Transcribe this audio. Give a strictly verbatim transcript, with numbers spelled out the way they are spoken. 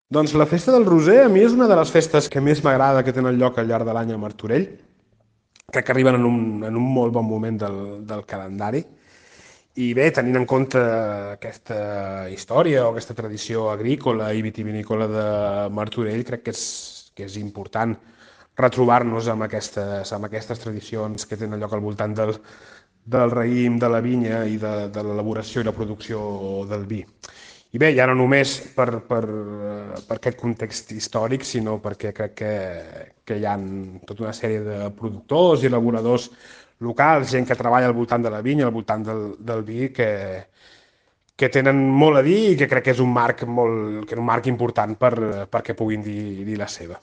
Doncs la festa del Roser a mi és una de les festes que més m'agrada que tenen lloc al llarg de l'any a Martorell. Crec que arriben en un, en un molt bon moment del, del calendari. I bé, tenint en compte aquesta història o aquesta tradició agrícola i vitivinícola de Martorell, crec que és, que és important retrobar-nos amb aquestes, amb aquestes tradicions que tenen lloc al voltant del, del raïm, de la vinya i de, de l'elaboració i la producció del vi. I bé, ja no només per, per, eh, per aquest context històric, sinó perquè crec que, que hi ha tota una sèrie de productors i elaboradors locals, gent que treballa al voltant de la vinya, al voltant del, del vi, que, que tenen molt a dir i que crec que és un marc, molt, que és un marc important per, perquè puguin dir, dir la seva.